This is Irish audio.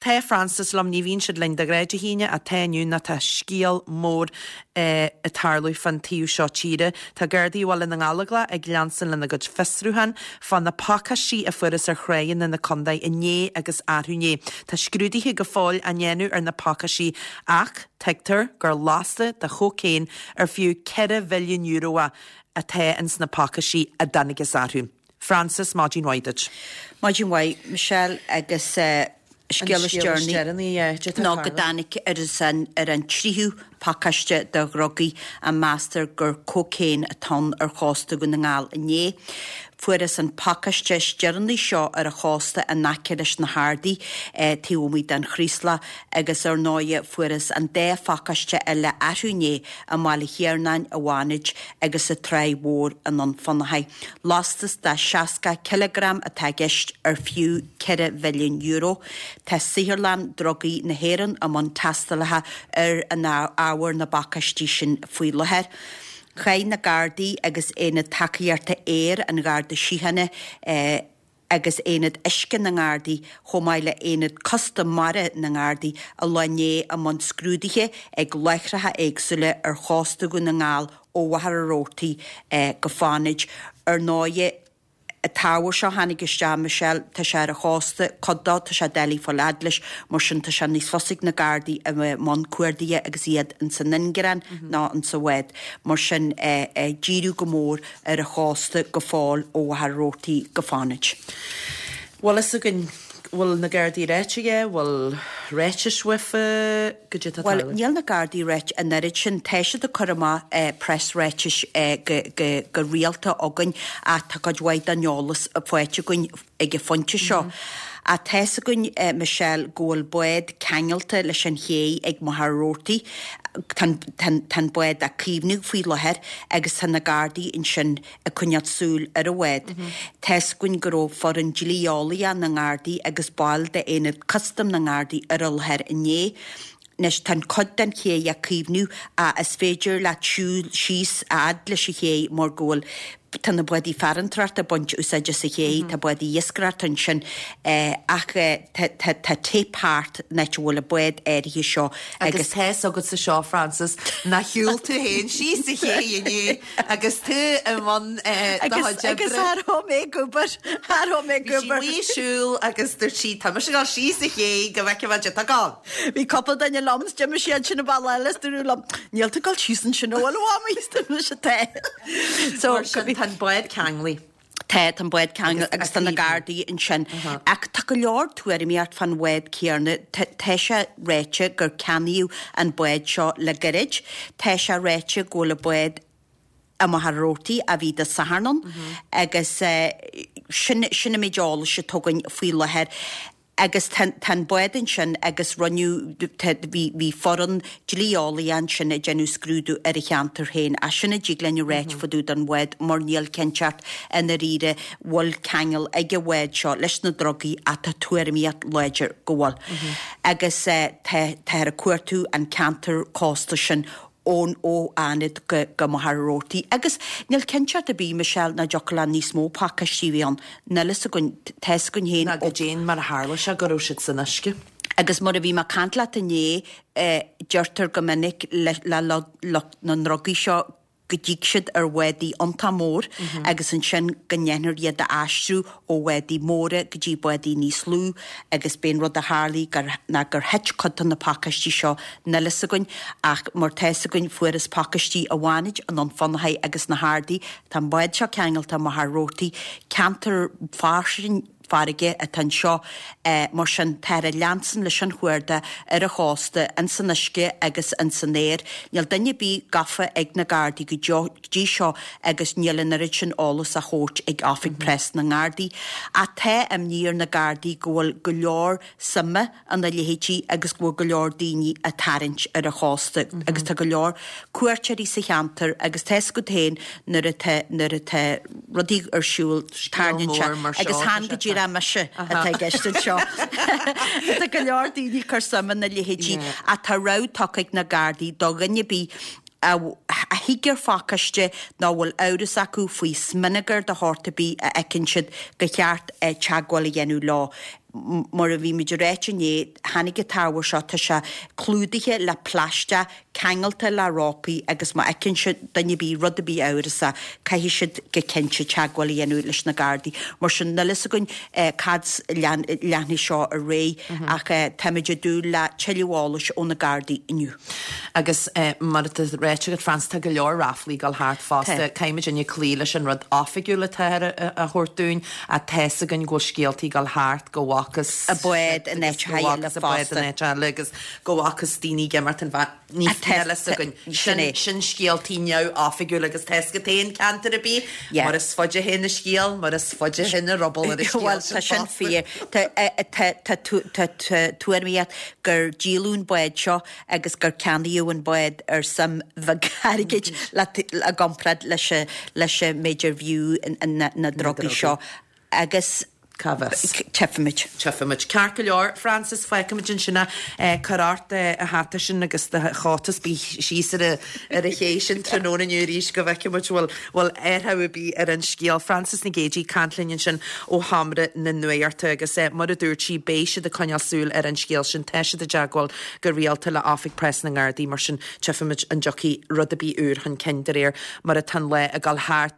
Tá Frances liom, ní bhíonn siad linn de ghnáth Dé hAoine, ach tá inniu nó tá scéal mór ag tarlú fán taobh seo tíre. Tá Gardaí Bhaile na nGallóglach ag leanstan lena gcuid fiosrúchán fá na pacáistí a fuarthas ar thráigheanna na contae inné agus arú inné. Tá scrúduithe go fóill á ndéanamh ar na pacáistí ach tuigtear gur lasta de chócaon ar fiú €4 mhilliún é atá ins na pacáistí a dtángthas orthu. Frances, maidin mhaith duit. Maidin mhaith, Michelle, agus scéal is deireanaí ná go dtáinig ar an tríú pacáiste de dhrugaí a meastar gur cócaon atá ann ar chósta Dhún na nGall inné. Fuarthas an pacáiste is deireanaí seo ar an chósta in aice leis na hArdaí taobh amuigh den Chraoslach agus ar ndóighe fuarthas an dá phacáiste eile arú inné i mBaile Thiarnáin i bhFánaid agus sa Tráigh Mhór i nDún Fionnachaidh. Lastas de 60 cileagram atá i gceist ar fiú €4 mhilliún. Tá Saotharlann Drugaí na hÉireann i mbun tástálacha ar an ábhar na bpacáistí sin faoi láthair. Chaith na Gardaí agus Aonad Tacaíochta Aeir an Gharda Síochána, agus Aonad Uisce na nGardaí, chomh maith le Aonad Custam Mara na nGardaí, an lá inné i mbun scrúduithe ag láithreacha éagsúla ar chósta Dhún na nGall ó Mhachaire Rabhartaigh go Fánaid. Ar ndóighe, an t-ábhar seo a tháinig isteach, Michelle, tá sé ar an chósta, cuid dó, tá sé doiligh fáil fhad leis, mar sin tá sé níos fusa ag na Gardaí a bheith i mbun cuardaithe agus iad ins an ingearán ná ins an bhád. Mar sin, díriú go mór ar an chósta go fóill ó Mhachaire Rabhartaigh go Fánaid. Bhfuil fhios againn, bhfuil na Gardaí ráite aige, bhfuil ráitis uafa, goidé atá Bhuel, níl na Gardaí ráite an oiread sin. Tá siad ag cur amach preasráitis go rialta againn ach tá cuid mhaith den eolas faighte againn ag an phointe seo. Ach tá's againn, Michelle, go bhfuil bád ceangailte leis an ché ag Machaire Rabhartaigh. Tá an bád á caomhnú faoi láthair agus tá na Gardaí ansin ag coinneáil súil ar an bhád. Tá's againn go raibh foireann dlí-eolaíoch na nGardaí agus baill d'Aonad Custaim na nGardaí ar an láthair inné. Anois, tá an cuid den ché á caomhnú ach is féidir leat siúl síos a fhad leis an ché mar go bhfuil, tá na bádaí farantóireachta ag baint úsáid as an ché, tá bádaí iascaireachta ansin ach tá tá tape thart an áit a bhfuil an bád áirithe seo agus. Agus tá's agatsa seo, Frances, nár shiúil tú féin síos an ché inné agus tú i mbun do chuid oibre. Agus cha raibh mé ag obair, cha raibh mé ag obair. Bhí sí ag siúl agus dúirt sí, tá mise ag dul síos an ché go bhfeicfidh mé goidé atá ag gabháil. Bhí cúpla duine liom is d'imigh siad sin an bealach eile is dúradh liom, níl tú ag dul síos ansin an bhfuil a mhamaí is dúirt mise tá. So, Mar sin, tá an bád ceanglaithe. Tá, tá an bád ceanglaithe agus tá na Gardaí ansin. Ach tá go leor tuairimíocht fán bhád céanna. Tá sé ráite gur ceannaíodh an bád seo le gairid. Tá sé ráite go bhfuil an bád i Machaire Rabhartaigh ó bhí Dé Sathairn ann agus sin sin an méid eolais atá againn faoi láthair. Agus tá an bád ansin agus rinneadh, tá, bhí, bhí foireann dlí-eolaithe ansin ag déanamh scrúdú ar an cheantar féin. Ach sin a dtig linn a ráit fá dtaobh den bhád mar níl cinnteacht i ndáiríre bhfuil ceangal ag an bhád seo leis na drugaí ach tá tuairimíocht láidir go bhfuil. Agus tá, táthar ag cuartú an ceantar cósta sin ón ó Fhánaid go go Machaire Rabhartaigh. Agus níl cinnteacht ar bith, Michelle, nach dtiocfadh le níos mó pacáistí a bheith ann. Níl fhios againn, tá fhios againn féin Ná goidé mar a tharla sé go raibh siad san uisce. Agus mar a bhí mé ag caint leat inné, deirtear go minic le le lucht na ndrugaí seo go dtig siad ar bhádaí iontach mór agus ansin go ndéanfar iad a aistriú ó bhádaí móra go dtí bádaí níos lú agus b'é an rud a tharlaigh gur, ná gur thit cuid de na pacáistí seo, níl fhios againn ach mar tá fhios againn fuarthas pacáistí i bhFánaid, i nDún Fionnachaidh agus na hArdaí, tá an bád seo ceangailte i Machaire Rabhartaigh, ceantar fairsing farraige atá anseo, mar sin táthar ag leanstan leis an chuardach ar an chósta, ins an uisce agus ins an aer. Níl duine ar bith gafa ag na Gardaí go dtí seo agus níl an oiread sin eolas á thabhairt ag Oifig Preas na nGardaí. Ach tá imní ar na Gardaí go bhfuil go leor suime ina leithéidí agus go bhfuil go leor daoine á tarraingt ar an chósta agus tá go leor cuairteoirí sa cheantar agus tá fhios agat féin nuair atá nuair atá rudaí ar siúl tarraingíonn sé agus chan go díreach mise atá i gceist anseo. Tá go leor daoine ag cur suim ina leithéidí ach tá rabhadh tugtha ag na Gardaí do dhuine ar bith a thig ar phacáiste nó a bhfuil amhras acu faoi smionagar de shórt ar bith a fheiceann siad, gur cheart teagmháil a dhéanamh leo. Mar a bhí muid ag ráit inné, tháinig an t-ábhar seo, tá sé clúdaithe le plaisteach, ceangailte le rópaí agus má fheiceann siad duine ar bith rud ar bith amhrasach, caithfidh siad go cinnte teagmháil a dhéanamh leis na Gardaí. Mar sin, níl fhios againn cad leanfaidh seo ar aghaidh ach táimid ag dúil le tuilleadh eolais ó na Gardaí inniu. Agus mar atá ráite agat, Frances, tá go leor ráflaí ag dul thart fosta. Caithfidh muidinne cloí leis an rud oifigiúil atáthar a thabhairt dúinn. Ach tá's againn go bhfuil scéaltaí ag dul thart go bhfacthas bád in áiteacha eile fosta. in áit eile agus go bhfacthas daoine ag imeacht an bhád. Níl fhios againn. Sin é. Sin scéaltaí neamhoifigiúil agus tá's agat féin ceantar ar bith, mar is faide a théann an scéal, mar is faide a théann an ruball ar an scéal Bhuel, tá sin fíor. Tá tuairimíocht gur díoladh an bád seo agus gur ceannaíodh an bád ar suim bheag airgid i gcomparáid leis an méid arbh fhiú na drugaí seo agus Cá bhfios? Tchífimid. Tchífimid. Ceart go leor, Frances, fágfaimid ansin é. Cuir ort do hata sin agus do chóta is bí síos ar an ché sin tráthnóna inniu arís go bhfeicfimid bhfuil bhfuil athrú ar bith ar an scéal. Frances Nic Géadaigh ag caint linn ansin ó Sheomra na Nuachta agus mar a dúirt sí beidh siad ag coinneáil súil ar an scéal sin. Tá siad i dteagmháil go rialta le Oifig Preas na nGardaí, mar sin tchífimid an dtiocfaidh rud ar bith úr chun cinn de réir mar atá an lá ag dul thart.